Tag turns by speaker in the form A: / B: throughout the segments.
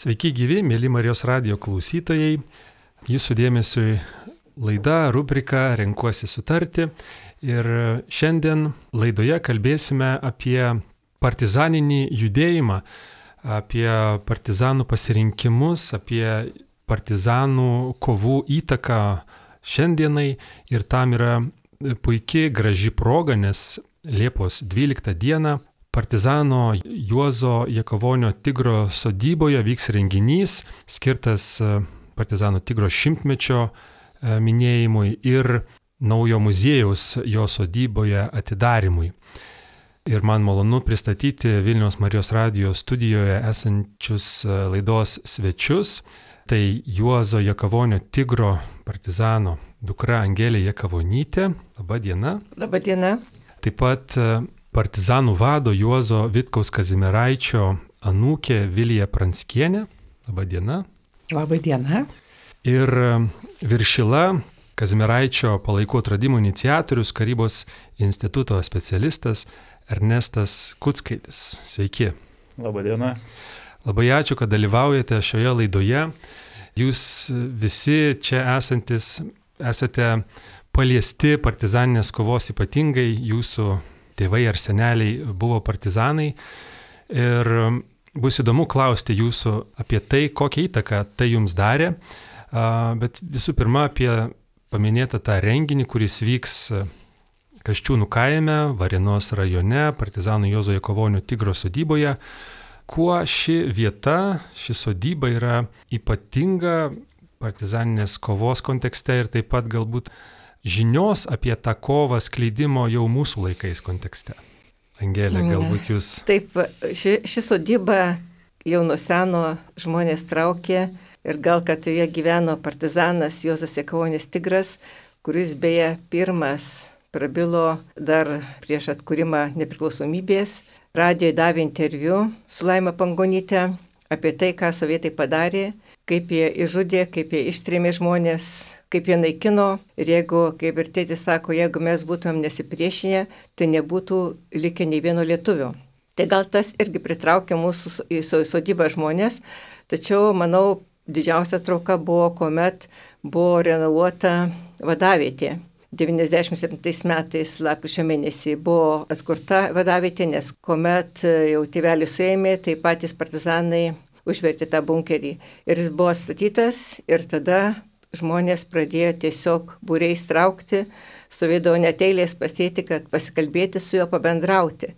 A: Sveiki gyvi, mėly Marijos radijo klausytojai. Jūsų dėmesiui laida, rubrika Renkuosi sutarti. Ir šiandien laidoje kalbėsime apie partizaninį judėjimą, apie partizanų pasirinkimus, apie partizanų kovų įtaką šiandienai. Ir tam yra puikiai graži proga, nes Liepos 12 dieną partizano Juozo Jakavonio Tigro sodyboje vyks renginys skirtas partizano Tigro 100-mečio minėjimui ir naujo muziejaus jo sodyboje atidarimui. Ir man malonu pristatyti Vilniaus Marijos radijo studijoje esančius laidos svečius. Tai Juozo Jakavonio Tigro partizano dukra Angelė Jakavonytė. Labą dieną.
B: Labą dieną.
A: Taip pat partizanų vado Juozo Vitkaus Kazimieraičio anūkė Vilija Pranskienė. Labą dieną.
B: Labą dieną.
A: Ir Viršila Kazimieraičio palaikų atradimų iniciatorius, Karybos instituto specialistas Ernestas Kuckaitis. Sveiki.
C: Labą dieną.
A: Labai ačiū, kad dalyvaujate šioje laidoje. Jūs visi čia esantis esate paliesti partizaninės kovos, ypatingai jūsų tėvai ar seneliai buvo partizanai. Ir bus įdomu klausti jūsų apie tai, kokią įtaką tai jums darė. Bet visų pirma apie paminėtą tą renginį, kuris vyks Kasčiūnų kaime, Varėnos rajone, partizanų Juozo Jakavonio Tigro sodyboje. Kuo ši vieta, ši sodyba yra ypatinga partizaninės kovos kontekste ir taip pat galbūt žinios apie tą kovą skleidimo jau mūsų laikais kontekste. Angelė, galbūt jūs...
B: Taip, ši sodyba jau nuo seno žmonės traukė ir gal kad joje gyveno partizanas Juozas Jakavonis Tigras, kuris beje pirmas prabilo dar prieš atkūrimą nepriklausomybės. Radijoje davė interviu su Laima Pangonyte apie tai, ką sovietai padarė, kaip jie išžudė, kaip jie ištrėmė žmonės, kaip jie naikino. Ir jeigu, kaip ir tėtis sako, jeigu mes būtumėm nesipriešinę, tai nebūtų likę nei vieno lietuvio. Tai gal tas irgi pritraukė mūsų į sodybą žmonės, tačiau, manau, didžiausia trauka buvo, kuomet buvo renovuota vadavietė. 97 metais lapkričio mėnesį buvo atkurta vadavietė, nes kuomet jau tėvelį suėmė, tai patys partizanai užvertė tą bunkerį. Ir jis buvo statytas ir tada žmonės pradėjo tiesiog būriais traukti, stovėdavo net eilės pasėti, kad pasikalbėti su juo, pabendrauti.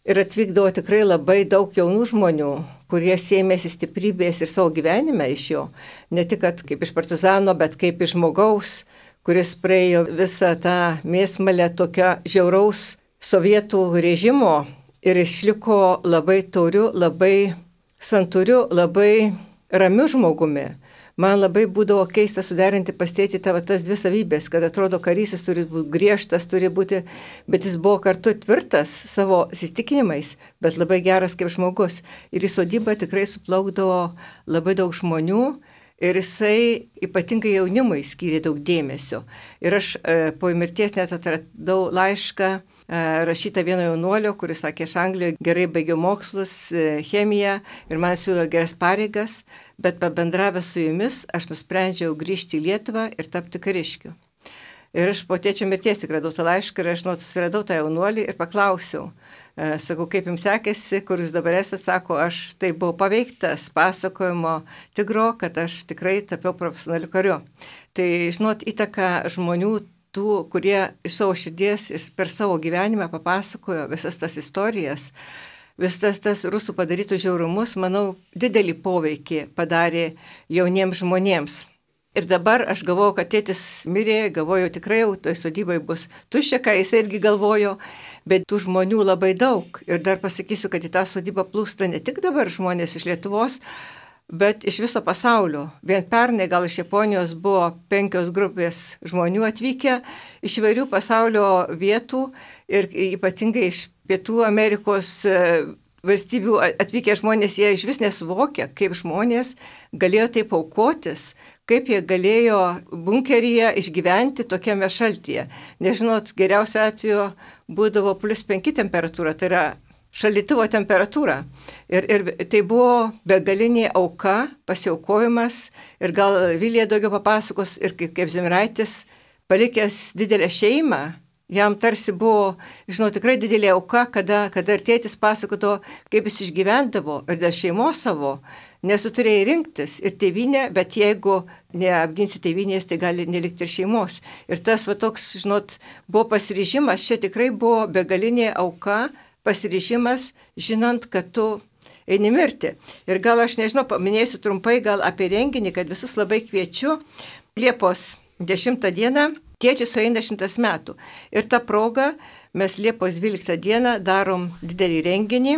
B: Ir atvykdavo tikrai labai daug jaunų žmonių, kurie sėmėsi stiprybės ir savo gyvenime iš jo. Ne tik kaip iš partizano, bet kaip iš žmogaus, kuris praėjo visą tą mėsmalę tokio žiauraus sovietų režimo ir išliko labai tauriu, labai santūriu, labai ramiu žmogumi. Man labai būdavo keista suderinti pas tėtį tas dvi savybės, kad atrodo karys jis turi būti griežtas, turi būti, bet jis buvo kartu tvirtas savo įsitikinimais, bet labai geras kaip žmogus. Ir į sodybą tikrai suplaukdavo labai daug žmonių ir jisai ypatingai jaunimui skyrė daug dėmesio. Ir aš po mirties net atradau laišką rašytą vieno jaunuolio, kuris sakė, aš Anglijoje gerai baigiau mokslus, chemiją ir man siūlo geras pareigas, bet pabendravęs su jumis aš nusprendžiau grįžti į Lietuvą ir tapti kariškiu. Ir aš po tėčio mirties tik radau tą laišką ir aš susiradau tą jaunuolį ir paklausiau. Sakau, kaip jums sekėsi, kur jūs dabar esate, sako, aš tai buvau paveiktas pasakojimo Tigro, kad aš tikrai tapiau profesionaliu kariu. Tai, žinot, įtaka žmonių tų, kurie iš savo širdies per savo gyvenimą papasakojo visas tas istorijas, visas tas rusų padarytų žiaurumus, manau, didelį poveikį padarė jauniems žmonėms. Ir dabar aš galvoju, kad tėtis mirė, galvoju, tikrai jau toj sodybai bus tuščia, ką jis irgi galvojo, bet tų žmonių labai daug. Ir dar pasakysiu, kad į tą sodybą plūsta ne tik dabar žmonės iš Lietuvos, bet iš viso pasaulio. Vien pernai gal iš Japonijos buvo 5 grupės žmonių atvykę iš įvairių pasaulio vietų ir ypatingai iš Pietų Amerikos valstybių atvykę žmonės, jie iš vis nesuvokia, kaip žmonės galėjo taip aukotis, kaip jie galėjo bunkeryje išgyventi tokiame šaltyje. Nežinot, geriausia atveju būdavo +5 temperatūra, tai yra šaldytuvo temperatūrą. Ir tai buvo begalinė auka, pasiaukojimas. Ir gal Vilija daugiau papasakos, ir kaip Zemiraitis, palikęs didelę šeimą, jam tarsi buvo, žinau, tikrai didelė auka, kada ir tėtis pasakoto, kaip jis išgyvendavo ir dėl šeimos savo, nes tu turėjai rinktis ir tėvynę, bet jeigu neapginsi tėvynės, tai gali nelikti ir šeimos. Ir tas va toks, žinot, buvo pasiryžimas, čia tikrai buvo begalinė auka, pasiryžimas, žinant, kad tu eini mirti. Ir gal aš nežinau, paminėsiu trumpai gal apie renginį, kad visus labai kviečiu. Liepos 10 dieną tėčiui sueina 100 metų. Ir tą progą mes Liepos 12 dieną darom didelį renginį,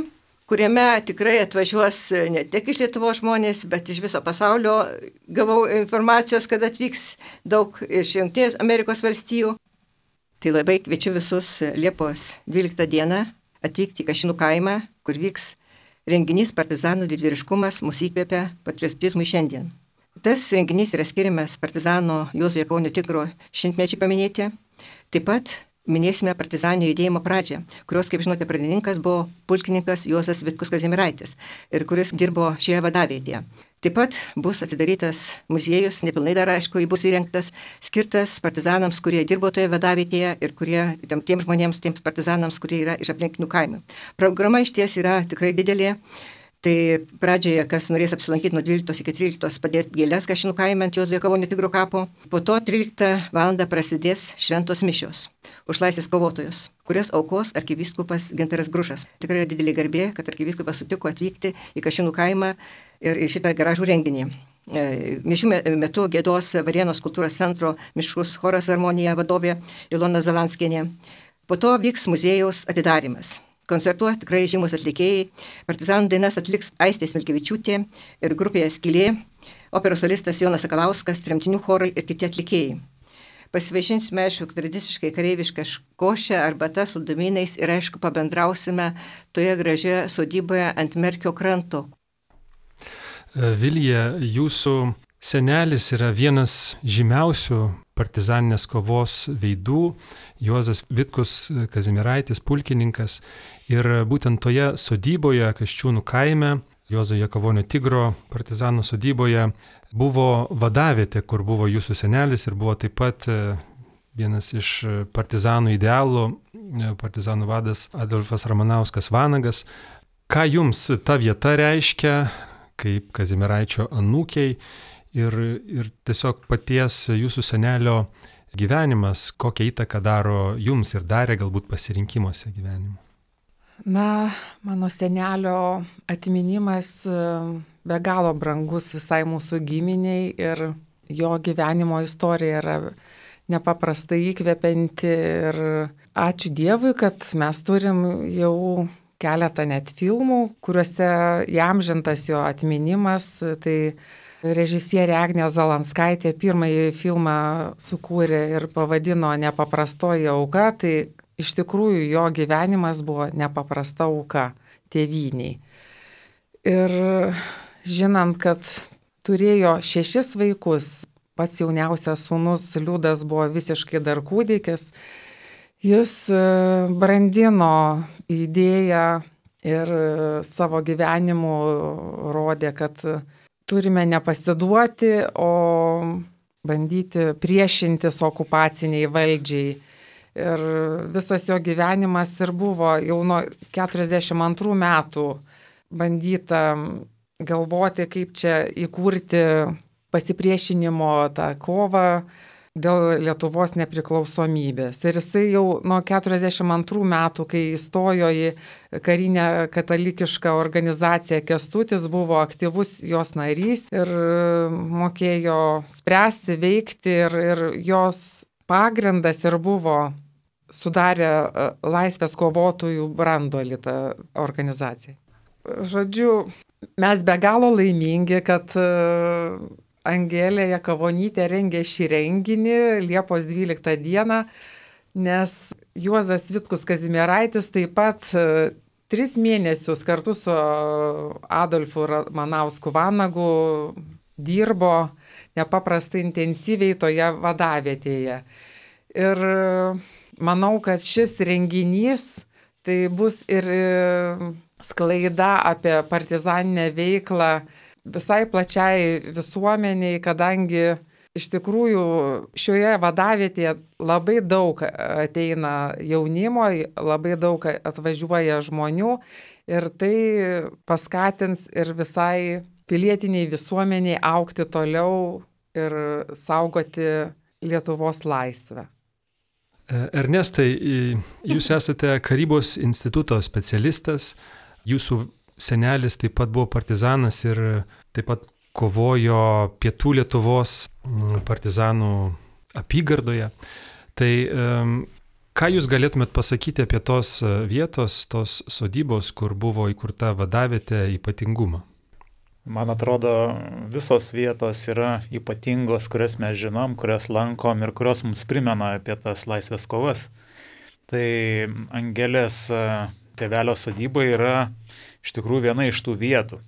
B: kuriame tikrai atvažiuos ne tik iš Lietuvos žmonės, bet iš viso pasaulio. Gavau informacijos, kad atvyks daug iš Jungtinės Amerikos valstijų. Tai labai kviečiu visus Liepos 12 dieną atvykti į Kašinų kaimą, kur vyks renginys Partizanų didvyriškumas mūsų įkvėpia patriotizmui šiandien. Tas renginys yra skiriamas partizano Juozo Jakaunio Tigro 100-mečiui paminėti. Taip pat minėsime partizaninio judėjimo pradžią, kurios, kaip žinote, pradininkas buvo pulkininkas Juozas Vitkus Kazimieraitis ir kuris dirbo šioje vadavietėje. Taip pat bus atidarytas muziejus, nepilnai dar aišku, jis bus įrengtas, skirtas partizanams, kurie dirbo toje vadavietėje ir kurie, tiems žmonėms, tiems partizanams, kurie yra iš aplinkinių kaimų. Programa iš ties yra tikrai didelė. Tai pradžioje, kas norės apsilankyti nuo 12 iki 13, padėti gėles Kašinų kaime ant Juozo Jakaunio Tigro kapo. Po to 13 val. Prasidės šventos mišios už laisvės kovotojus, kurias aukos arkivyskupas Gintaras Grušas. Tikrai didelė garbė, kad arkivyskupas sutiko atvykti į Kašinų kaimą ir į šitą gražų renginį. Mišių metu giedos Varėnos kultūros centro mišrus choras Harmonija vadovė Ilona Zalanskienė. Po to vyks muziejaus atidarimas. Koncertuos tikrai žymus atlikėjai. Partizanų dainas atliks Aistė Smilkevičiūtė ir grupėje Skylė, operos solistas Jonas Sakalauskas, tremtinių chorai ir kiti atlikėjai. Pasivaišinsime, aišku, tradiciškai kareivišką košę arbata su saldumynais ir, aišku, pabendrausime toje gražioje sodyboje ant Merkio kranto.
A: Vilija, jūsų senelis yra vienas žymiausių partizaninės kovos veidų, Juozas Vitkus Kazimieraitis, pulkininkas. Ir būtent toje sodyboje, Kasčiūnų kaime, Juozo Jakaunio Tigro partizanų sodyboje, buvo vadavietė, kur buvo jūsų senelis ir buvo taip pat vienas iš partizanų idealų, partizanų vadas Adolfas Ramanauskas Vanagas. Ką jums ta vieta reiškia, kaip Kazimieraičio anūkiai ir tiesiog paties jūsų senelio gyvenimas, kokią įtaką daro jums ir darė galbūt pasirinkimuose gyvenimo?
C: Na, mano senelio atminimas be galo brangus visai mūsų giminiai ir jo gyvenimo istorija yra nepaprastai įkvepianti ir ačiū Dievui, kad mes turim jau keletą net filmų, kuriuose įamžintas jo atminimas. Tai režisierė Agnė Zalanskaitė pirmąjį filmą sukūrė ir pavadino Nepaprastoji auka, tai iš tikrųjų jo gyvenimas buvo nepaprasta auka tėvyniai. Ir žinant, kad turėjo 6 vaikus, pats jauniausias sūnus Liudas buvo visiškai dar kūdikis, jis brandino idėją ir savo gyvenimu rodė, kad turime nepasiduoti, o bandyti priešintis okupaciniai valdžiai. Ir visas jo gyvenimas ir buvo jau nuo 42 metų bandyta galvoti, kaip čia įkurti pasipriešinimo tą kovą dėl Lietuvos nepriklausomybės. Ir jisai jau nuo 42 metų, kai įstojo į karinę katalikišką organizaciją Kęstutis, buvo aktyvus jos narys ir mokėjo spręsti, veikti ir jos pagrindas ir buvo sudarė laisvės kovotojų branduolį tą organizaciją. Žodžiu, mes be galo laimingi, kad Angelė Jakavonytė rengė šį renginį Liepos 12 dieną, nes Juozas Vitkus Kazimieraitis taip pat 3 mėnesius kartu su Adolfu Ramanausku Vanagu dirbo nepaprastai intensyviai toje vadavietėje. Ir manau, kad šis renginys Tai bus ir sklaida apie partizaninę veiklą visai plačiai visuomeniai, kadangi iš tikrųjų šioje vadavietėje labai daug ateina jaunimo, labai daug atvažiuoja žmonių ir tai paskatins ir visai pilietiniai visuomeniai augti toliau ir saugoti Lietuvos laisvę.
A: Ernestai, jūs esate Karybos instituto specialistas, jūsų senelis taip pat buvo partizanas ir taip pat kovojo Pietų Lietuvos partizanų apygardoje. Tai ką jūs galėtumėt pasakyti apie tos vietos, tos sodybos, kur buvo įkurta vadavietė ypatingumą?
D: Man atrodo, visos vietos yra ypatingos, kurias mes žinom, kurias lankom ir kurios mums primena apie tas laisvės kovas. Tai Angelės tėvelio sodyba yra iš tikrųjų viena iš tų vietų.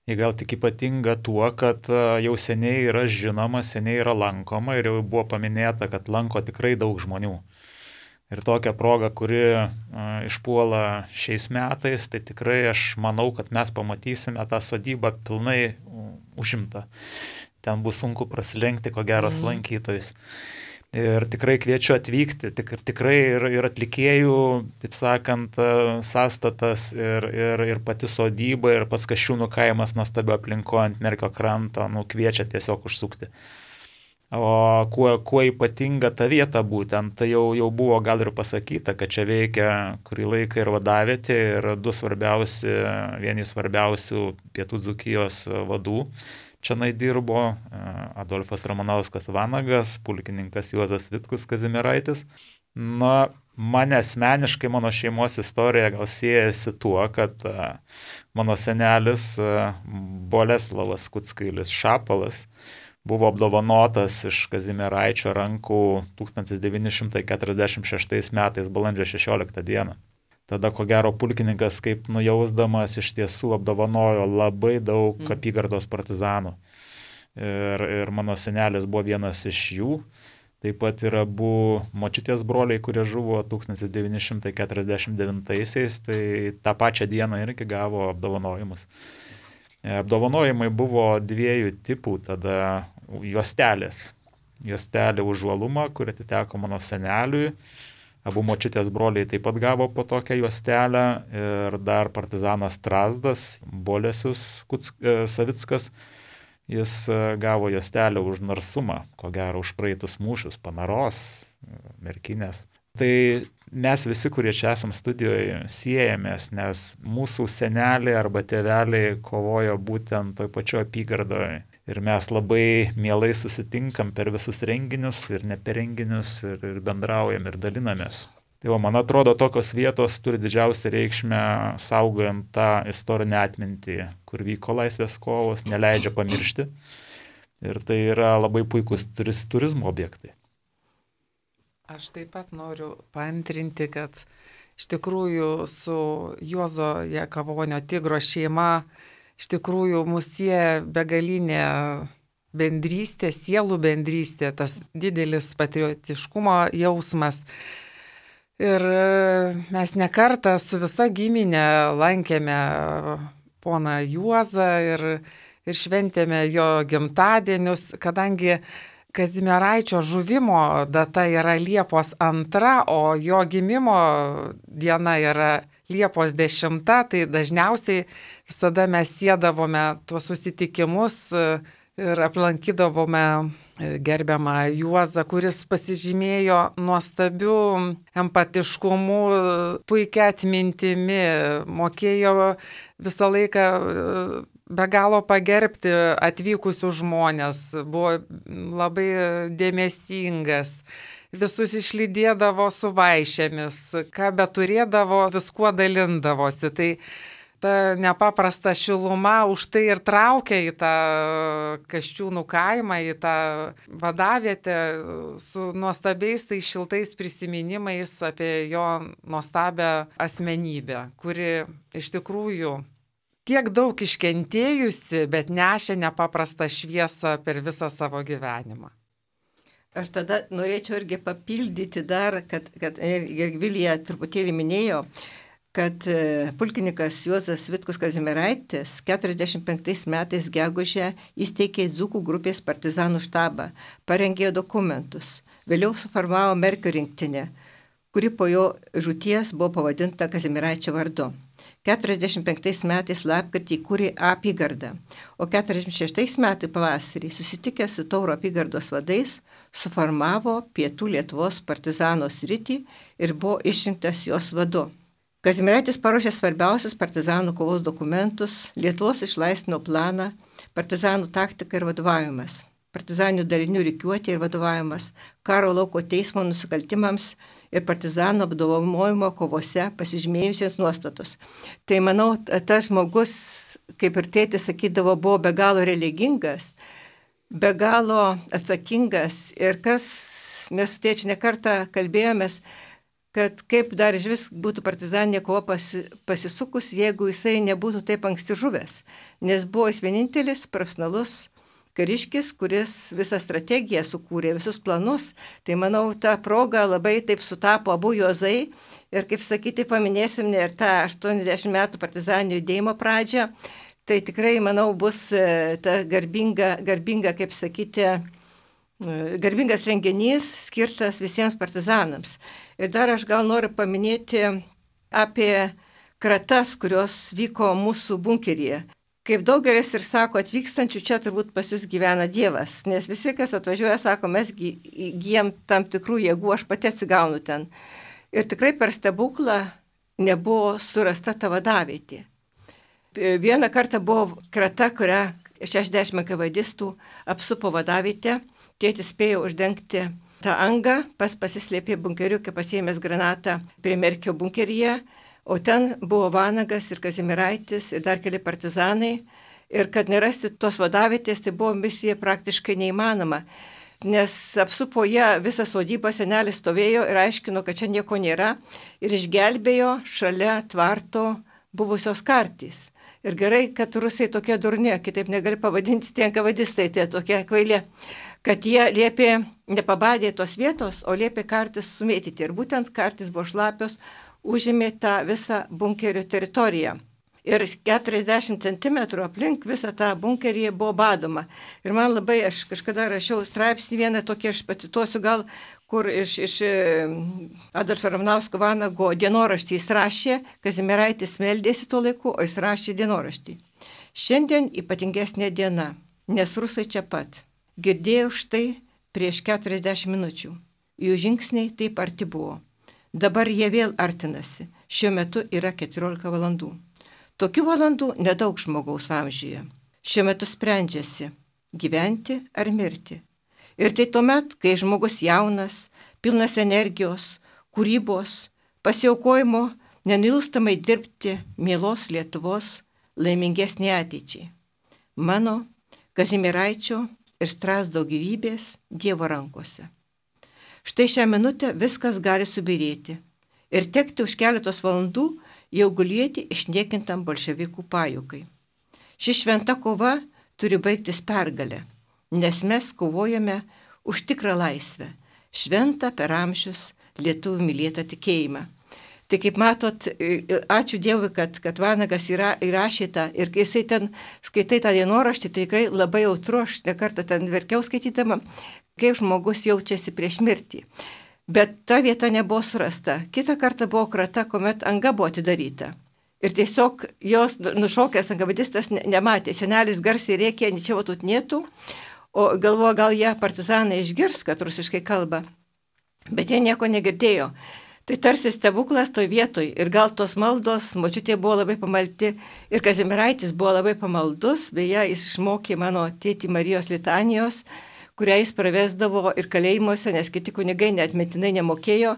D: Jie gal tik ypatinga tuo, kad jau seniai yra žinoma, seniai yra lankoma ir jau buvo paminėta, kad lanko tikrai daug žmonių. Ir tokia proga, kuri išpuola šiais metais, tai tikrai aš manau, kad mes pamatysime tą sodybą pilnai užimtą. Ten bus sunku prasilenkti, ko geros lankytojus. Ir tikrai kviečiu atvykti, tikrai ir atlikėjų, taip sakant, sąstatas ir pati sodyba, ir pats Kasčiūnų kaimas nuostabio aplinko ant Merkio kranto, kviečia tiesiog užsukti. O kuo ypatinga ta vieta būtent, tai jau buvo gal ir pasakyta, kad čia veikia kurį laiką ir vadavietė, ir vieni svarbiausių Pietų Dzūkijos vadų. Čionai dirbo Adolfas Ramanauskas Vanagas, pulkininkas Juozas Vitkus Kazimieraitis. Na, mane asmeniškai, mano šeimos istorija gal siejasi tuo, kad mano senelis Boleslavas Kuckailis Šapalas buvo apdovanotas iš Kazimieraičio rankų 1946 metais balandžio 16 dieną. Tada, ko gero, pulkininkas kaip nujausdamas iš tiesų apdovanojo labai daug apygardos partizanų. Ir mano senelis buvo vienas iš jų. Taip pat yra abu močiutės broliai, kurie žuvo 1949-aisiais, tai tą pačią dieną irgi gavo apdovanojimus. Apdovanojimai buvo dviejų tipų, tada juostelės. Juostelė už žuolumą, kuri atiteko mano seneliui. Abu močiutės broliai taip pat gavo po tokią juostelę ir dar partizanas Strazdas, Bolesius Savickas, jis gavo juostelę už narsumą, ko gero už praeitus mūšius, Panaros, Merkinės. Tai mes visi, kurie čia esam studijoje, siejamės, nes mūsų seneliai arba tėveliai kovojo būtent toj pačioj apygardoje. Ir mes labai mielai susitinkam per visus renginius ir ne per renginius ir bendraujam ir dalinamės. Tai man atrodo, tokios vietos turi didžiausią reikšmę saugojant tą istorinę atmintį, kur vyko laisvės kovos, neleidžia pamiršti. Ir tai yra labai puikus turizmo objektai.
C: Aš taip pat noriu paantrinti, kad iš tikrųjų su Juozo Jakavonio Tigro šeima iš tikrųjų mus sieja begalinė bendrystė, sielų bendrystė, tas didelis patriotiškumo jausmas. Ir mes ne kartą su visa giminė lankėme poną Juozą ir šventėme jo gimtadienius, kadangi Kazimieraičio žuvimo data yra Liepos 2, o jo gimimo diena yra Liepos 10, tai dažniausiai visada mes siedavome tuos susitikimus ir aplankydavome gerbiamą Juozą, kuris pasižymėjo nuostabiu empatiškumu, puikia atmintimi, mokėjo visą laiką be galo pagerbti atvykusius žmonės, buvo labai dėmesingas. Visus išlydėdavo su vaišėmis, ką beturėdavo, viskuo dalindavosi. Tai ta nepaprasta šiluma už tai ir traukia į tą Kasčiūnų kaimą, į tą vadavietę su nuostabiais tai šiltais prisiminimais apie jo nuostabią asmenybę, kuri iš tikrųjų tiek daug iškentėjusi, bet nešė nepaprastą šviesą per visą savo gyvenimą.
B: Aš tada norėčiau irgi papildyti dar, kad ir Vilija truputėlį minėjo, kad pulkininkas Juozas Vitkus Kazimieraitis 45 metais gegužę įsteigė Dzūkų grupės partizanų štabą, parengė dokumentus, vėliau suformavo Merkio rinktinę, kuri po jo žūties buvo pavadinta Kazimieraičio vardu. 45 metais lapkritį įkūrė apygardą, o 46 metais pavasarį susitikęs su Tauro apygardos vadais suformavo Pietų Lietuvos partizano sritį ir buvo išrinktas jos vadu. Kazimieraitis paruošė svarbiausius partizanų kovos dokumentus, Lietuvos išlaisvinimo planą, partizanų taktika ir vadovavimas, partizanių dalinių rikiuotė ir vadovavimas, karo lauko teismo nusikaltimams ir partizanų apdovanojimo kovose pasižymėjusiems nuostatus. Tai manau, tas žmogus, kaip ir tėtis sakydavo, buvo be galo religingas, be galo atsakingas ir kas mes su tėčiu nekartą kalbėjomės, kad kaip dar iš vis būtų partizaninė kova pasisukus, jeigu jisai nebūtų taip anksti žuvęs, nes buvo jis vienintelis profesionalus kariškis, kuris visą strategiją sukūrė, visus planus. Tai manau, ta proga labai taip sutapo abu Juozai ir, kaip sakyti, paminėsim ir tą 80 metų partizaninio judėjimo pradžią. Tai tikrai, manau, bus ta garbinga, kaip sakyti, garbingas renginys skirtas visiems partizanams. Ir dar aš gal noriu paminėti apie kratas, kurios vyko mūsų bunkeryje. Kaip daugelis ir sako, atvykstančių čia turbūt pas jūs gyvena Dievas, nes visi, kas atvažiuoja, sako, mes įgyjam tam tikrų jėgų, aš pati atsigaunu ten. Ir tikrai per stebuklą nebuvo surasta ta vadavietė. Vieną kartą buvo krata, kurią 60 kavadistų apsupo vadavietę, tėtis spėjo uždengti tą angą, pasislėpė bunkeriukę, pasiėmęs granatą prie Merkio bunkeryje. O ten buvo Vanagas ir Kazimieraitis ir dar keli partizanai. Ir kad nerasti tos vadavietės, tai buvo misija praktiškai neįmanoma. Nes apsupo jie visą sodybą, senelis stovėjo ir aiškino, kad čia nieko nėra. Ir išgelbėjo šalia tvarto buvusios kartys. Ir gerai, kad rusai tokie durni, kitaip negali pavadinti tie enkavadistai, tie tokie kvaili, kad jie liepė, nepabadė tos vietos, o liepė kartis sumėtyti. Ir būtent kartis buvo šlapios, užėmė tą visą bunkerio teritoriją. Ir 40 cm aplink visą tą bunkerį buvo badoma. Ir man labai, aš kažkada rašiau straipsnį vieną tokį, aš pacituosiu gal, kur iš Adolfo Ramanausko Vanago dienoraštį jis rašė, Kazimieraitis meldėsi tuo laiku, o jis rašė dienoraštį. Šiandien ypatingesnė diena, nes rusai čia pat. Girdėjau štai prieš 40 minučių. Jų žingsniai taip arti buvo. Dabar jie vėl artinasi. Šiuo metu yra 14 valandų. Tokių valandų nedaug žmogaus amžiuje. Šiuo metu sprendžiasi, gyventi ar mirti. Ir tai tuomet, kai žmogus jaunas, pilnas energijos, kūrybos, pasiaukojimo, nenilstamai dirbti mielos Lietuvos laimingesnė ateičiai. Mano, Kazimieraičio ir Strazdo gyvybės Dievo rankose. Štai šią minutę viskas gali subirėti ir tekti už keletos valandų jau gulėti išniekintam bolševikų pajūkai. Ši šventa kova turi baigtis pergalę, nes mes kovojame už tikrą laisvę, šventą per amžius lietuvių mylėtą tikėjimą. Tai kaip matot, ačiū Dievui, kad Vanagas įrašė tą ir kai jisai ten skaitai tą dienoraštį, tai tikrai labai jautru, aš nekartą ten verkiau skaitydama, kaip žmogus jaučiasi prieš mirtį. Bet ta vieta nebuvo surasta. Kitą kartą buvo krata, kuomet anga buvo atidaryta. Ir tiesiog jos nušokęs enkavadistas nematė. Senelis garsiai rėkė, ničia tut nėtų, o galvoja, gal jie partizanai išgirs, kad rusiškai kalba. Bet jie nieko negirdėjo. Tai tarsi stebuklas toj vietoj. Ir gal tos maldos, močiutė buvo labai pamaldi ir Kazimieraitis buvo labai pamaldus, beje, jis išmokė mano tėtį Marijos litanijos, kurią jis pravesdavo ir kalėjimuose, nes kiti kunigai neatmetinai nemokėjo.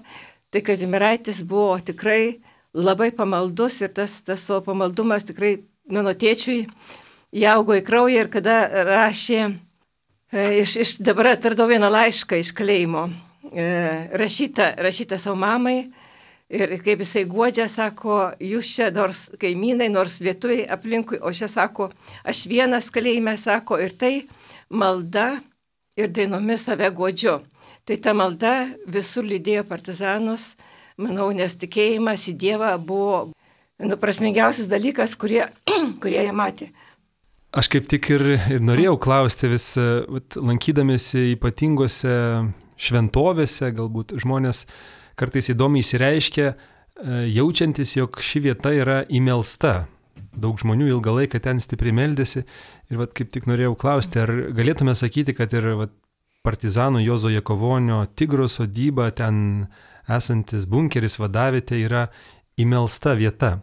B: Tai Kazimieraitis buvo tikrai labai pamaldus ir tas savo pamaldumas tikrai mano tėčiui įaugo į kraują ir kada rašė, dabar atradau vieną laišką iš kalėjimo, rašytą savo mamai ir kaip jisai guodžia, sako, jūs čia nors kaimynai, nors lietuviai aplinkui, o čia sako, aš vienas kalėjime, sako, ir tai malda ir dainomis save guodžiu. Tai ta malda visur lydėjo partizanus, manau, nes tikėjimas į Dievą buvo prasmingiausias dalykas, kurie jie matė.
A: Aš kaip tik ir norėjau klausti vis, lankydamėsi ypatingose šventovėse, galbūt žmonės kartais įdomiai įsireiškia, jaučiantis, jog ši vieta yra įmelsta. Daug žmonių ilgą laiką ten stipriai meldėsi ir kaip tik norėjau klausti, ar galėtume sakyti, kad ir partizanų Juozo Jakavonio Tigro sodyba, ten esantis bunkeris vadavietė yra įmelsta vieta.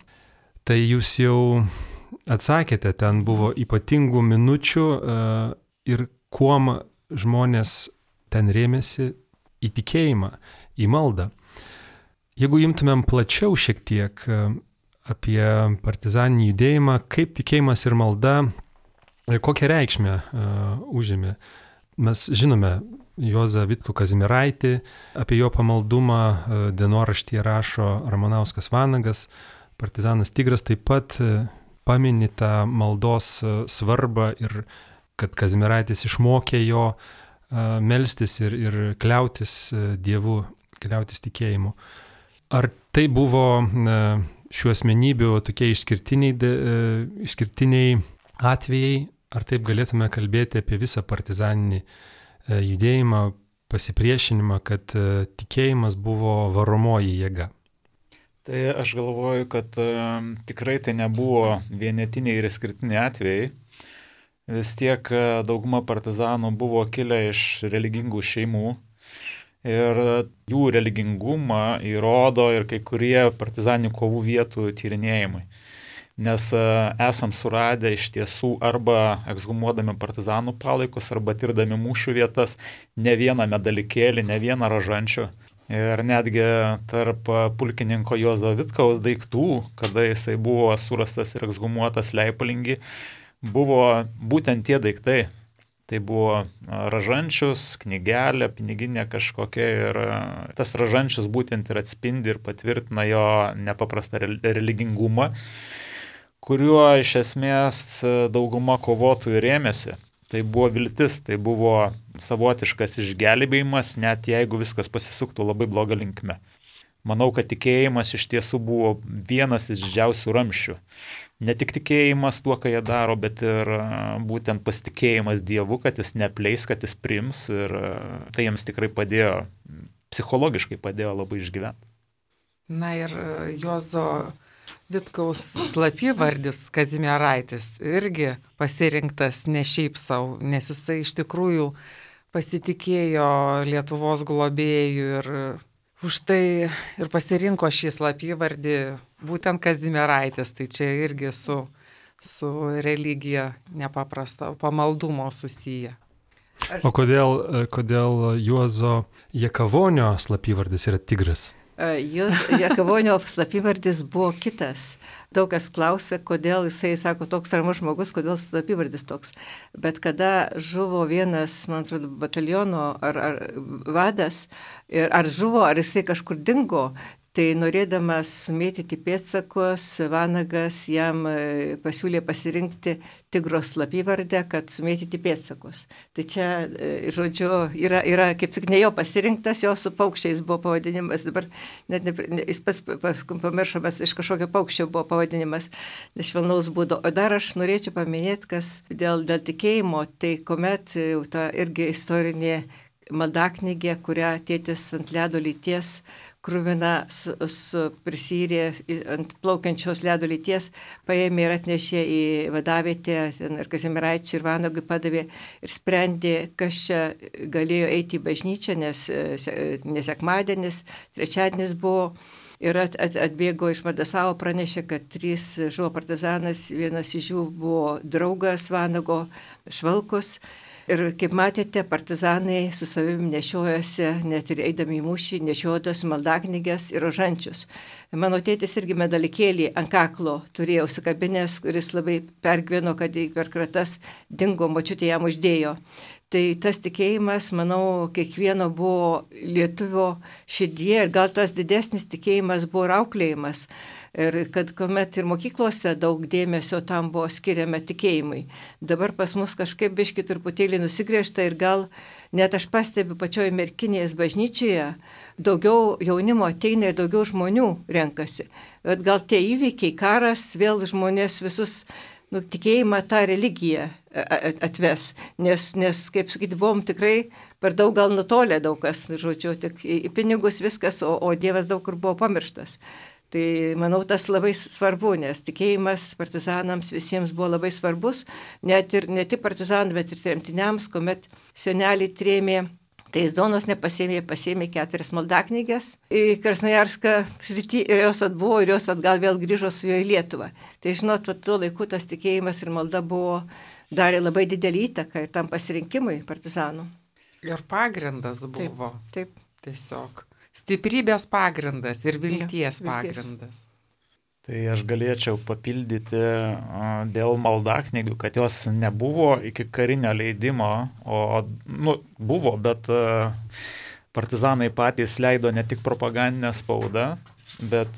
A: Tai jūs jau atsakėte, ten buvo ypatingų minučių ir kuom žmonės ten rėmėsi į tikėjimą, į maldą. Jeigu imtumėm plačiau šiek tiek apie partizaninį judėjimą, kaip tikėjimas ir malda, kokią reikšmę užėmė. Mes žinome Juozą Vitkų Kazimieraitį, apie jo pamaldumą dienoraštyje rašo Ramanauskas Vanagas, partizanas Tigras taip pat pamini tą maldos svarbą ir kad Kazimieraitis išmokė jo melstis ir kliautis Dievu, kliautis tikėjimu. Ar tai buvo šių asmenybių tokie išskirtiniai atvejai, ar taip galėtume kalbėti apie visą partizaninį judėjimą, pasipriešinimą, kad tikėjimas buvo varomoji jėga?
D: Tai aš galvoju, kad tikrai tai nebuvo vienetiniai ir išskirtiniai atvejai. Vis tiek dauguma partizanų buvo kilę iš religingų šeimų ir jų religingumą įrodo ir kai kurie partizaninių kovų vietų tyrinėjimai. Nes esam suradę iš tiesų arba ekshumuodami partizanų palaikus, arba tirdami mūšių vietas ne vieną medalikėlį, ne vieną ražančių. Ir netgi tarp pulkininko Juozo Vitkaus daiktų, kada jisai buvo surastas ir ekshumuotas Leipalingy, buvo būtent tie daiktai. Tai buvo ražančius, knygelė, piniginė kažkokia ir tas ražančius būtent ir atspindi ir patvirtina jo nepaprastą religingumą, kuriuo iš esmės dauguma kovotojų rėmėsi. Tai buvo viltis, tai buvo savotiškas išgelbėjimas, net jeigu viskas pasisuktų labai blogą linkme. Manau, kad tikėjimas iš tiesų buvo vienas iš didžiausių ramsčių. Ne tik tikėjimas tuo, ką jie daro, bet ir būtent pasitikėjimas Dievu, kad jis neapleis, kad jis priims ir tai jiems tikrai padėjo, psichologiškai padėjo labai išgyventi.
C: Na ir Juozo Vitkaus slapyvardis Kazimieraitis irgi pasirinktas ne šiaip savo, nes jisai iš tikrųjų pasitikėjo Lietuvos globėjų ir už tai ir pasirinko šį slapyvardį būtent Kazimieraitis, tai čia irgi su religija nepaprasto pamaldumo susiję.
A: O kodėl Juozo Jakavonio slapyvardis yra Tigras?
B: Jakavonio slapyvardis buvo kitas. Daug kas klausia, kodėl jisai sako toks ramus žmogus, kodėl slapyvardis toks. Bet kada žuvo vienas, man atrodo, bataliono ar vadas, ar žuvo, ar jisai kažkur dingo, tai norėdamas sumėtyti pėdsakus, Vanagas jam pasiūlė pasirinkti Tigro slapyvardę, kad sumėtyti pėdsakus. Tai čia, žodžiu, yra kaip tik ne jo pasirinktas, jo su paukščiais buvo pavadinimas. Dabar net jis pats pamiršomas, iš kažkokio paukščio buvo pavadinimas, švelnaus būdo. O dar aš norėčiau paminėti, kas dėl tikėjimo, tai kuomet ta irgi istorinė maldaknygė, kurią tėtis ant ledo lyties kruvina prisyrė ant plaukiančios ledo lyties, paėmė ir atnešė į vadavietę, ir Kazimieraičiui ir Vanagui padavė ir sprendė, kas čia galėjo eiti į bažnyčią, nes sekmadienis, trečiadienis buvo. Ir atbėgo iš Mardasavo, pranešė, kad 3 žuvo partizanas, vienas iš jų buvo draugas Vanago Švalkus. Ir kaip matėte, partizanai su savimi nešiojosi, net ir eidami į mūšį, nešiojosi maldaknyges ir rožančius. Mano tėtis irgi medalikėlį ant kaklo turėjo užsikabinęs, kuris labai pergyveno, kad per kratas dingo, močiutė jam uždėjo. Tai tas tikėjimas, manau, kiekvieno buvo lietuvio širdie ir gal tas didesnis tikėjimas buvo ir auklėjimas. Ir kad kuomet ir mokyklose daug dėmesio tam buvo skiriama tikėjimui. Dabar pas mus kažkaip biški truputėlį nusigriežta ir gal net aš pastebiu pačioje Merkinės bažnyčioje, daugiau jaunimo ateina ir daugiau žmonių renkasi. Bet gal tie įvykiai, karas, vėl žmonės visus tikėjimą tą religiją atves. Nes kaip sakyti, buvom tikrai per daug gal nutolę daug kas, žodžiu, tik į pinigus viskas, o Dievas daug kur buvo pamirštas. Tai manau, tas labai svarbu, nes tikėjimas partizanams visiems buvo labai svarbus, ne tik partizanams, bet ir tremtiniams, kuomet seneliai trėmė, tai jis Donos nepasėmė, pasėmė 4 maldaknyges į Krasnojarską sritį ir jos atbuvo ir jos atgal vėl grįžo su juo į Lietuvą. Tai žinot, tuo laiku tas tikėjimas ir malda darė labai didelį įtaką ir tam pasirinkimui partizanų.
C: Ir pagrindas buvo.
B: Taip.
C: Tiesiog. Stiprybės pagrindas ir vilties pagrindas.
D: Tai aš galėčiau papildyti dėl maldaknygių, kad jos nebuvo iki karinio leidimo, buvo, bet partizanai patys leido ne tik propagandinę spaudą, bet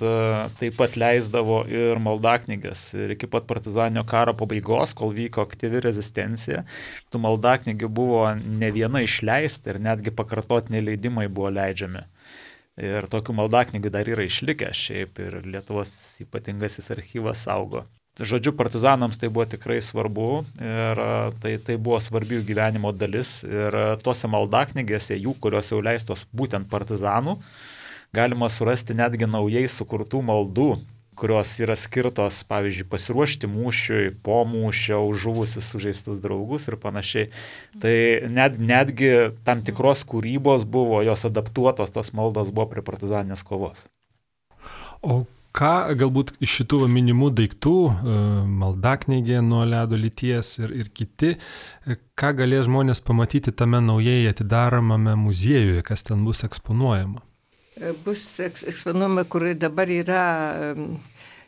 D: taip pat leisdavo ir maldaknyges. Ir iki pat partizaninio karo pabaigos, kol vyko aktyvi rezistencija, tų maldaknygių buvo ne viena išleista ir netgi pakartotiniai leidimai buvo leidžiami. Ir tokių maldaknygių dar yra išlikę šiaip ir Lietuvos ypatingasis archyvas saugo. Žodžiu, partizanams tai buvo tikrai svarbu ir tai buvo svarbi jų gyvenimo dalis. Ir tose maldaknygėse, kurios jau leistos būtent partizanų, galima surasti netgi naujai sukurtų maldų, kurios yra skirtos, pavyzdžiui, pasiruošti mūšiui, po mūšio, žuvusius sužeistus draugus ir panašiai. Tai netgi tam tikros kūrybos buvo, jos adaptuotos, tos maldos buvo prie partizaninės kovos.
A: O ką galbūt iš šitų minimų daiktų, maldaknygė nuo ledo lyties ir kiti, ką galės žmonės pamatyti tame naujai atidaromame muziejuje, kas ten bus eksponuojama?
B: Bus eksponuojama, kur dabar yra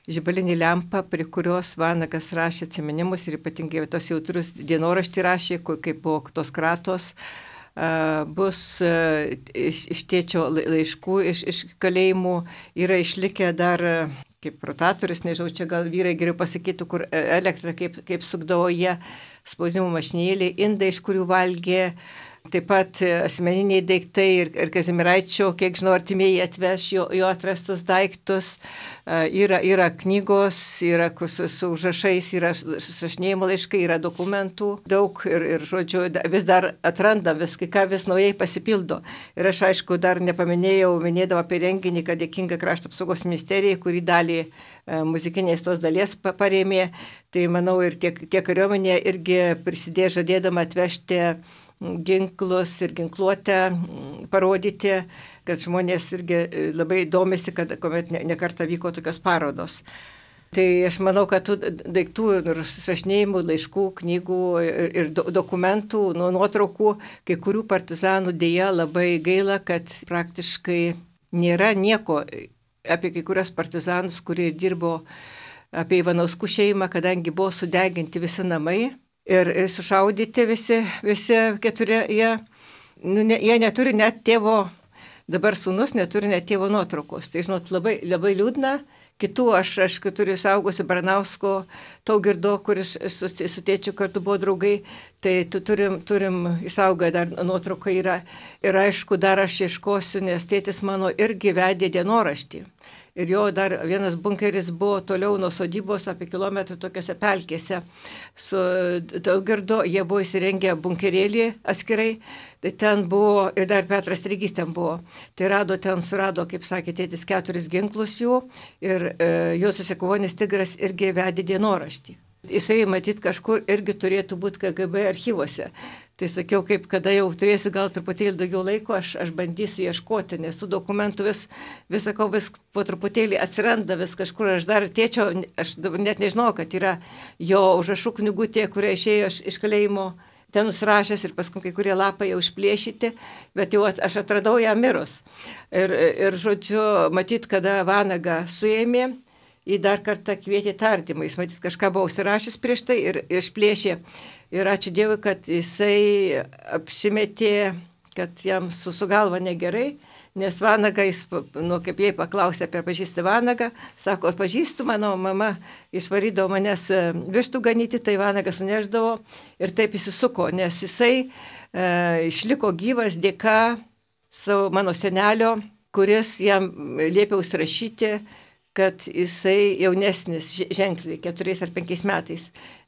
B: žibalinė lempa, prie kurios Vanagas rašė atsiminimus ir ypatingai tos jautrus dienoraštį rašė, kur kaip buvo tos kratos. Bus iš tėčio laiškų, iš kalėjimų yra išlikę dar kaip rotatorius, nežinau, čia gal vyrai geriau pasakytų, kur elektrą kaip sukdavo jie, spausdinimo mašinėlį, indai, iš kurių valgė. Taip pat asmeniniai daiktai ir Kazimieraičio, kiek žinau, artimieji atveš jo atrastus daiktus. Yra knygos, yra su užrašais, yra susirašinėjimo laiškai, yra dokumentų daug ir žodžiu, vis dar atranda ką vis naujai pasipildo. Ir aš aišku dar nepaminėjau, minėdama apie renginį, kad dėkinga Krašto apsaugos ministerijai, kuri dalį muzikinės tos dalies parėmė. Tai manau ir tiek kariuomenė irgi prisidėjo žadėdama atvežti ginklus ir ginkluotę parodyti, kad žmonės irgi labai domisi, kad kuomet nekartą vyko tokios parodos. Tai aš manau, kad tų daiktų ir susirašinėjimų, laiškų, knygų ir dokumentų, nuotraukų, kai kurių partizanų dėja labai gaila, kad praktiškai nėra nieko apie kai kurios partizanus, kurie dirbo apie Ivanauskų šeimą, kadangi buvo sudeginti visi namai. Ir sušaudyti visi 4, jie neturi net tėvo, dabar sūnus neturi net tėvo nuotraukos. Tai žinot, labai, labai liūdna. Kitų aš turiu saugosi Baranausko Taugirdo, kuris su tėčiu kartu buvo draugai, tai turim įsaugę dar nuotrauką yra. Ir aišku, dar aš ieškosiu, nes tėtis mano irgi vedė dienoraštį. Ir jo dar vienas bunkeris buvo toliau nuo sodybos apie kilometrų tokiose pelkėse. Su Taugirdo jie buvo įsirengę bunkerėlį atskirai, tai ten buvo ir dar Petras Strygys ten buvo. Tai surado, kaip sakė tėtis, 4 ginklus jų ir Juozas Jakuvonis Tigras irgi vedė dienoraštį. Jisai matyt kažkur irgi turėtų būti KGB archyvose. Tai sakiau, kaip kada jau turėsiu gal truputėlį daugiau laiko, aš bandysiu ieškoti, nes tų dokumentų vis po truputėlį atsiranda, vis kažkur. Aš dar tėčio, aš net nežinau, kad yra jo užrašų knygutė, kurie išėjo iš kalėjimo, ten nusirašęs ir paskui kai kurie lapai jau išplėšyti, bet jau aš atradau ją mirus. Ir žodžiu, matyt, kada Vanagą suėmė, jį dar kartą kvietė tardymą. Jis matyt kažką buvo užsirašęs prieš tai ir išplėšė. Ir ačiū Dievui, kad jisai apsimetė, kad jam su galva negerai, nes Vanagą, kaip jai paklausė apie pažįstą Vanagą, sako, ar pažįstu, mano mama išvarydavo manęs vištų ganyti, tai Vanagas suneždavo ir taip įsisuko, nes jisai išliko gyvas dėka savo mano senelio, kuris jam liepė užsirašyti, kad jisai jaunesnis ženkliai 4 ar 5 metais.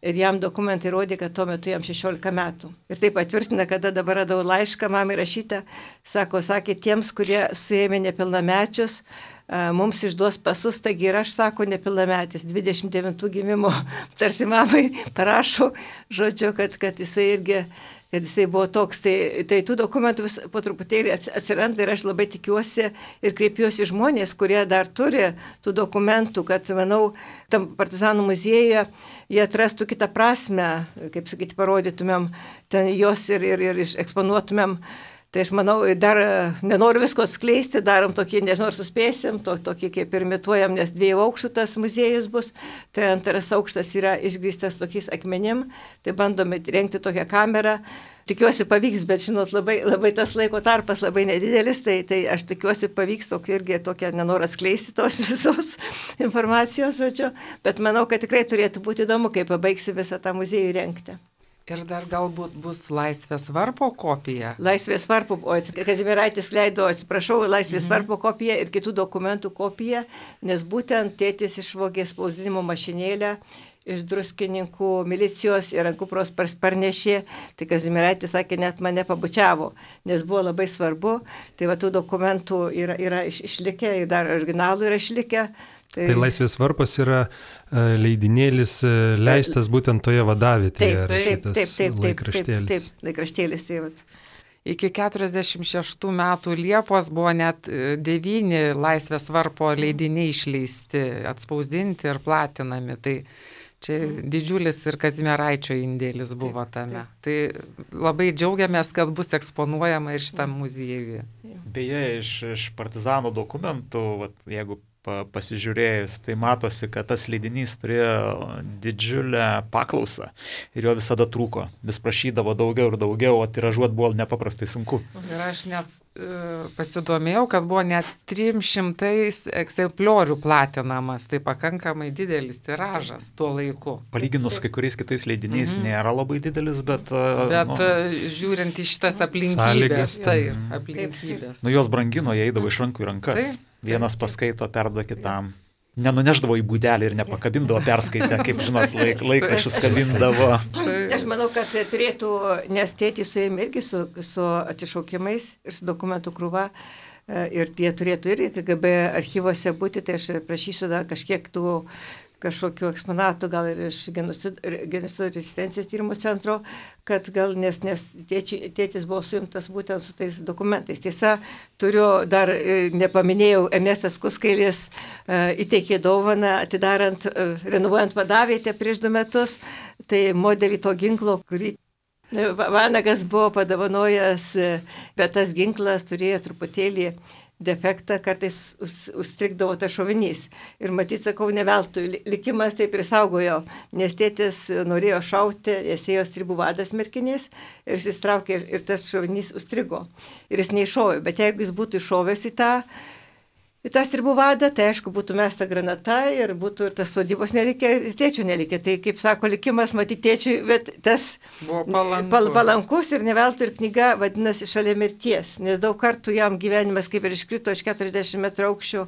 B: Ir jam dokumentai rodė, kad tuo metu jam 16 metų. Ir tai patvirtina, kada dabar radau laišką mamai rašytą, sakė, tiems, kurie suėmė nepilnamečius, mums išduos pasus, taigi ir aš, sako, nepilnametis, 29 gimimo, tarsi mamai parašo, žodžiu, kad jisai irgi kad jisai buvo toks, tai tų dokumentų vis po truputėlį atsiranda ir aš labai tikiuosi ir kreipiuosi žmonės, kurie dar turi tų dokumentų, kad, manau, tam partizanų muziejuje jie atrastų kitą prasme, kaip sakyti, parodytumėm ten jos ir eksponuotumėm. Tai aš manau, dar nenoriu visko skleisti, darom tokį, nežinau, ar suspėsim, tokį kaip ir imituojam, nes 2 aukštų tas muziejus bus, tai 2 aukštas yra išgrįstas tokiais akmenim, tai bandome rengti tokią kamerą. Tikiuosi pavyks, bet žinot, labai tas laiko tarpas labai nedidelis, tai aš tikiuosi pavyks irgi tokia, nenoriu atskleisti tos visos informacijos, žodžiu, bet manau, kad tikrai turėtų būti įdomu, kai pabaigsi visą tą muziejų rengti.
C: Ir dar galbūt bus Laisvės varpo kopija.
B: Laisvės varpo, Kazimieraitis leido, atsiprašau, Laisvės varpo kopiją ir kitų dokumentų kopiją, nes būtent tėtis išvogė spausdinimo mašinėlę iš Druskininkų milicijos ir ant kupros parnešė, tai Kazimieraitis sakė, net mane pabučiavo, nes buvo labai svarbu, tai va tų dokumentų yra išlikę ir dar originalų yra išlikę.
A: Tai Laisvės varpas yra leidinėlis leistas būtent toje vadavietėje.
B: Taip, laikraštėlis.
C: Iki 46 metų Liepos buvo net 9 Laisvės varpo leidiniai išleisti, atspausdinti ir platinami. Tai čia didžiulis ir Kazimieraičio indėlis buvo tame. Tai labai džiaugiamės, kad bus eksponuojama ir šitam muziejuje.
D: Beje, iš partizanų dokumentų, jeigu pasižiūrėjus, tai matosi, kad tas leidinys turėjo didžiulę paklausą ir jo visada trūko. Vis prašydavo daugiau ir daugiau, o tiražuot buvo nepaprastai sunku.
C: Ir aš net pasidomėjau, kad buvo net 300 egzempliorių platinamas, tai pakankamai didelis tiražas tuo laiku.
D: Palyginus kai kuriais kitais leidiniais nėra labai didelis, bet
C: žiūrint į šitas aplinkybės, aplinkybės.
D: Jos brangino, jie eidavo iš rankų į rankas. Vienas paskaito, perduoda kitam. Nenuneždavo į būdelį ir nepakabindavo perskaitę, kaip žinot, laikraščius kabindavo.
B: Aš manau, kad turėtų, nes tėtis su jais irgi su atsišaukimais ir su dokumentų krūva, ir tie turėtų ir KGB archyvose būti, tai aš prašysiu dar kažkiek tų kažkokių eksponatų, gal ir iš genocido rezistencijos tyrimų centro, kad gal, nes tėtis buvo suimtas būtent su tais dokumentais. Tiesa, turiu dar, nepaminėjau, Ernestas Kuskailis įteikė dovaną, atidarant, renovuojant vadavietę prieš 2 metus, tai modelį to ginklo, kurį Vanagas buvo padovanojęs, bet tas ginklas turėjo truputėlį defektą, kartais užstrigdavo tas šovinys. Ir matyt, sakau, ne veltui, likimas taip ir saugojo, nes tėtis norėjo šauti, jis ėjo stribų vadas merkinės ir jis įstraukė ir tas šovinys užstrigo. Ir jis neiššovė, bet jeigu jis būtų iššovęs į tą stribų vadą, tai aišku, būtų mesta granata ir būtų ir tas sodybos nelikė, ir tėčių nelikė. Tai, kaip sako, likimas matyti tėčiui, bet tas palankus ir neveltui ir knyga vadinasi Šalia mirties, nes daug kartų jam gyvenimas kaip ir iškrito iš 40 metrų aukščių,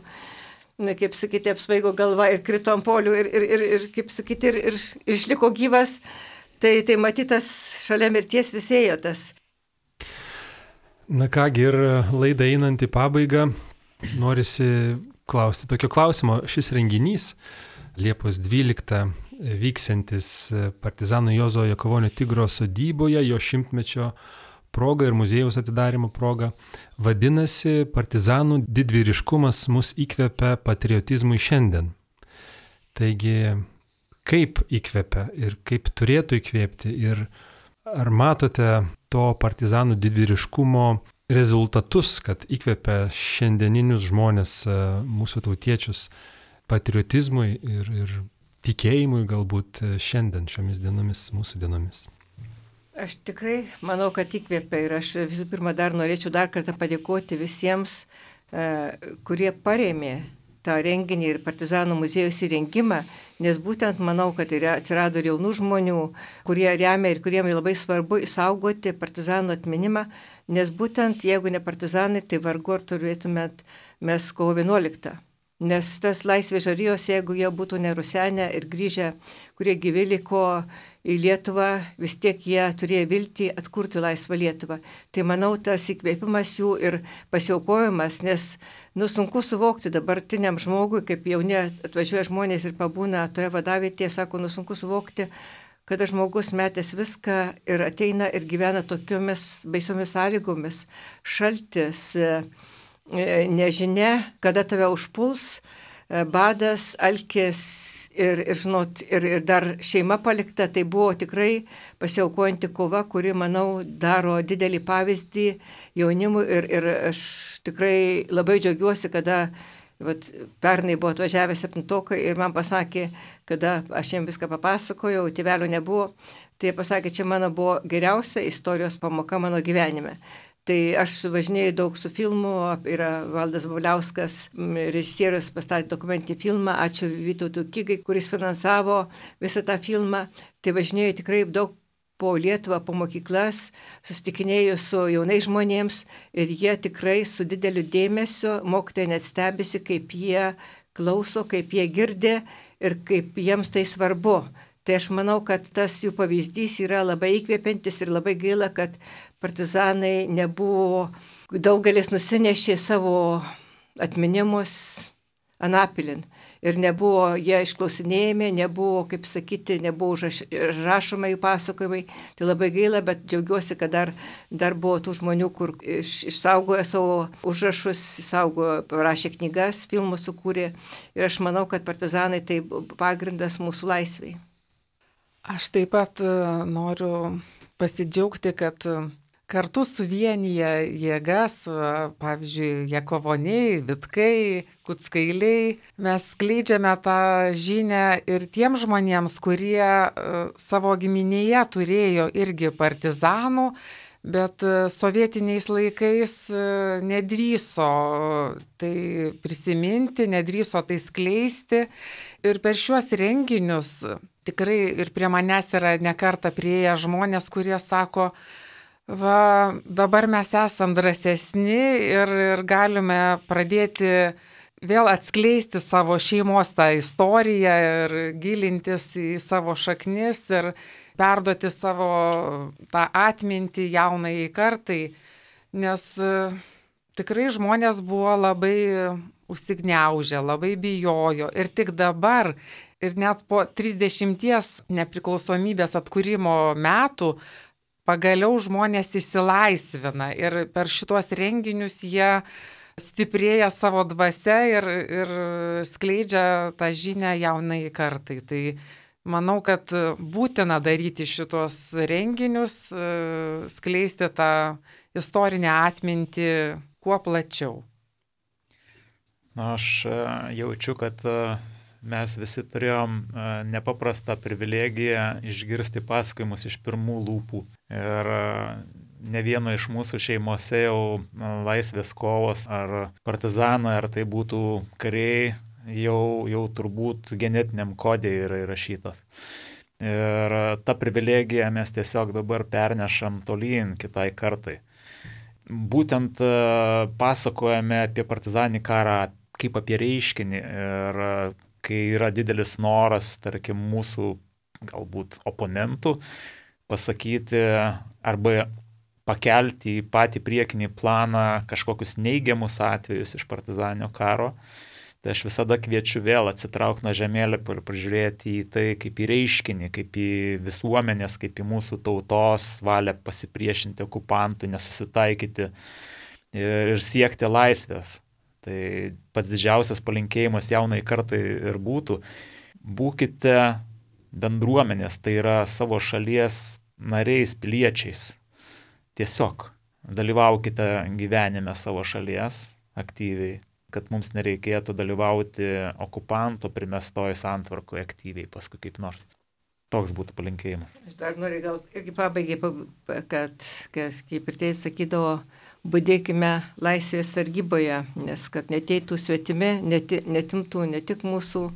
B: kaip sakyti, apsvaigo galva ir krito ant polių ir kaip sakyti, ir išliko gyvas. Tai matytas Šalia mirties visėjo tas.
A: Na kągi, ir laida einant į pabaigą, norisi klausti tokio klausimo. Šis renginys Liepos 12 vyksiantis partizano Juozo Jakavonio Tigro sodyboje, jo 100-mečio proga ir muziejaus atidarimo proga, vadinasi Partizanų didvyriškumas mus įkvepia patriotizmui šiandien. Taigi, kaip įkvepia ir kaip turėtų įkvėpti ir ar matote to partizanų didvyriškumo rezultatus, kad įkvepia šiandieninius žmonės, mūsų tautiečius patriotizmui ir tikėjimui galbūt šiandien, šiomis dienomis, mūsų dienomis.
B: Aš tikrai manau, kad įkvėpia ir aš visų pirma norėčiau dar kartą padėkoti visiems, kurie parėmė tą renginį ir Partizanų muziejus įrengimą, nes būtent manau, kad atsirado ir jaunų žmonių, kurie remia ir kuriems labai svarbu išsaugoti partizanų atminimą, nes būtent jeigu ne partizanai, tai vargu ar turėtumėt mes kovo 11. Nes tas laisvės žarijos, jeigu jie būtų nerusenę ir grįžę, kurie gyvi liko į Lietuvą, vis tiek jie turėjo viltį atkurti laisvą Lietuvą. Tai manau, tas įkvėpimas jų ir pasiaukojimas, nes sunku suvokti dabartiniam žmogui, kaip jauni atvažiuoja žmonės ir pabūna toje vadavietėje, sako, sunku suvokti, kada žmogus metęs viską ir ateina ir gyvena tokiomis baisiomis sąlygomis, šaltis, nežinia, kada tave užpuls, badas, alkis ir dar šeima palikta, tai buvo tikrai pasiaukojanti kova, kuri, manau, daro didelį pavyzdį jaunimui ir aš tikrai labai džiaugiuosi, kada pernai buvo atvažiavę 7-tokai ir man pasakė, kada aš jiems viską papasakojau, tėvelio nebuvo, tai jie pasakė, čia mano buvo geriausia istorijos pamoka mano gyvenime. Tai aš važinėjau daug su filmu, yra Valdas Bubliauskas, režisierius, pastatė dokumentinį filmą, ačiū Vytautui Kigai, kuris finansavo visą tą filmą. Tai važinėjau tikrai daug po Lietuvą, po mokyklas, susitikinėjau su jaunais žmonėms ir jie tikrai su dideliu dėmesiu, mokytojai net stebisi, kaip jie klauso, kaip jie girdi ir kaip jiems tai svarbu. Tai aš manau, kad tas jų pavyzdys yra labai įkvėpiantis ir labai gaila, kad partizanai nebuvo, daugelis nusinešė savo atminimus anapilin ir nebuvo jie išklausinėjami, nebuvo, kaip sakyti, nebuvo rašoma jų pasakojimai. Tai labai gaila, bet džiaugiuosi, kad dar buvo tų žmonių, kur išsaugojo savo užrašus, parašė knygas, filmus sukūrė ir aš manau, kad partizanai tai pagrindas mūsų laisvei.
C: Aš taip pat noriu pasidžiaugti, kad kartu suvienyje jėgas, pavyzdžiui, Jakovoniai, Vitkai, Kuckailiai, mes skleidžiame tą žinią ir tiem žmonėms, kurie savo giminėje turėjo irgi partizanų, bet sovietiniais laikais nedrįso tai prisiminti, nedrįso tai skleisti. Ir per šiuos renginius tikrai ir prie manęs yra nekartą prieėję žmonės, kurie sako, dabar mes esam drąsesni ir galime pradėti vėl atskleisti savo šeimos tą istoriją ir gilintis į savo šaknis ir perduoti savo tą atmintį jaunai kartai, nes tikrai žmonės buvo labai užsigniaužę, labai bijojo ir tik dabar ir net po 30 nepriklausomybės atkūrimo metų pagaliau žmonės išsilaisvina ir per šitos renginius jie stiprėja savo dvasia ir skleidžia tą žinią jaunai kartai. Tai manau, kad būtina daryti šitos renginius, skleisti tą istorinę atmintį kuo plačiau.
D: Aš jaučiu, kad mes visi turėjom nepaprastą privilegiją išgirsti pasakojimus iš pirmų lūpų. Ir ne vieno iš mūsų šeimose jau laisvės kovos ar partizanai, ar tai būtų kariai, jau turbūt genetiniam kodė yra įrašytos. Ir tą privilegiją mes tiesiog dabar pernešam tolyn kitai kartai. Būtent pasakojame apie partizaninį karą kaip apie reiškinį ir kai yra didelis noras, tarkim, mūsų galbūt oponentų pasakyti arba pakelti į patį priekinį planą kažkokius neigiamus atvejus iš partizaninio karo, tai aš visada kviečiu vėl atsitraukti nuo žemėlapio ir pažiūrėti į tai kaip į reiškinį, kaip į visuomenės, kaip į mūsų tautos valią pasipriešinti okupantui, nesusitaikyti ir siekti laisvės. Tai pats didžiausias palinkėjimas jaunai kartai ir būtų, būkite bendruomenės, tai yra savo šalies nariais, piliečiais. Tiesiog dalyvaukite gyvenime savo šalies aktyviai. kad mums nereikėtų dalyvauti okupanto primestoje santvarkoje aktyviai paskui kaip nors. Toks būtų palinkėjimas.
B: Aš dar noriu gal irgi pabaigai, kad kaip ir tai sakydavo, budėkime laisvės sargyboje, nes kad neteitų svetimi, netimtų ne tik mūsų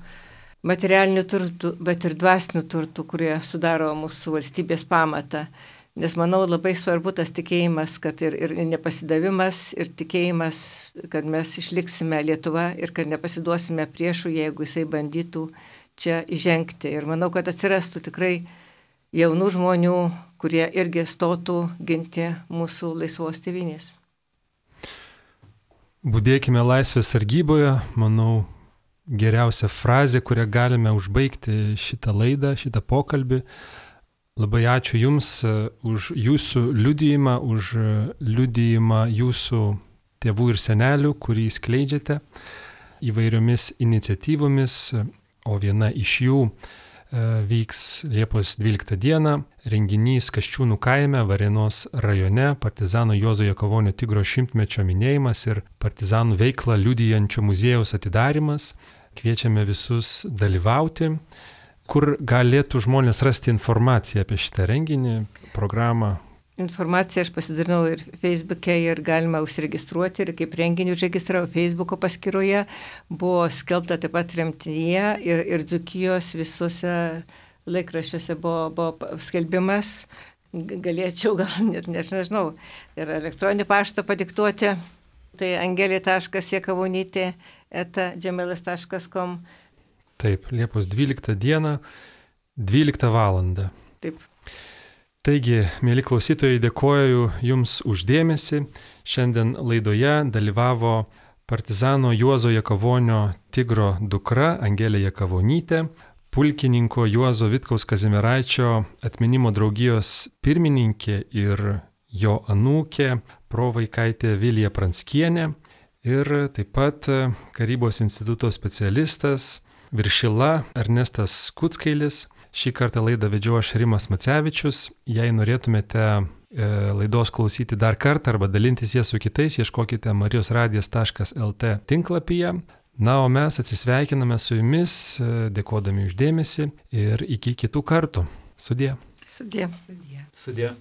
B: materialinių turtų, bet ir dvasinių turtų, kurie sudaro mūsų valstybės pamatą. Nes manau labai svarbu tas tikėjimas, kad ir nepasidavimas, ir tikėjimas, kad mes išliksime Lietuva ir kad nepasiduosime priešų, jeigu jisai bandytų čia įžengti. Ir manau, kad atsirastų tikrai jaunų žmonių, kurie irgi stotų ginti mūsų laisvos tėvynės.
A: Budėkime laisvės sargyboje, manau, geriausia frazė, kurią galime užbaigti šitą laidą, šitą pokalbį. Labai ačiū Jums už Jūsų liudijimą, už liudijimą Jūsų tėvų ir senelių, kurį skleidžiate įvairiomis iniciatyvomis, o viena iš jų vyks Liepos 12 dieną, renginys Kasčiūnų kaime, Varėnos rajone, partizano Juozo Jakavonio Tigro 100-mečio minėjimas ir partizanų veiklą liudijančio muziejaus atidarimas. Kviečiame visus dalyvauti. Kur galėtų žmonės rasti informaciją apie šitą renginį, programą?
B: Informaciją aš pasidalinau ir Facebook'e ir galima užsiregistruoti ir kaip renginį užregistravo Facebook'o paskyroje. Buvo skelbta taip pat Tremtyje ir Dzūkijos visuose laikraščiuose buvo skelbimas. Galėčiau gal net nežinau ir elektroninį paštą padiktuoti. Tai angelė.jakavonytė@gmail.com.
A: Taip, Liepos 12 dieną, 12 valandą.
B: Taip.
A: Taigi, mėly klausytojai, dėkoju Jums uždėmesį. Šiandien laidoje dalyvavo partizano Juozo Jakavonio Tigro dukra Angelė Jakavonytė, pulkininko Juozo Vitkaus Kazimieraičio atminimo draugijos pirmininkė ir jo anūkė provaikaitė Vilija Pranskienė ir taip pat Karybos instituto specialistas Viršila Ernestas Kuckailis. Šį kartą laidą vedžiau aš Rimas Macevičius. Jei norėtumėte laidos klausyti dar kartą arba dalintis ją su kitais, ieškokite marijosradijas.lt tinklapyje. Na, o mes atsisveikiname su Jumis, dėkodami uždėmesį ir iki kitų kartų. Sudie.
B: Sudie.
D: Sudie.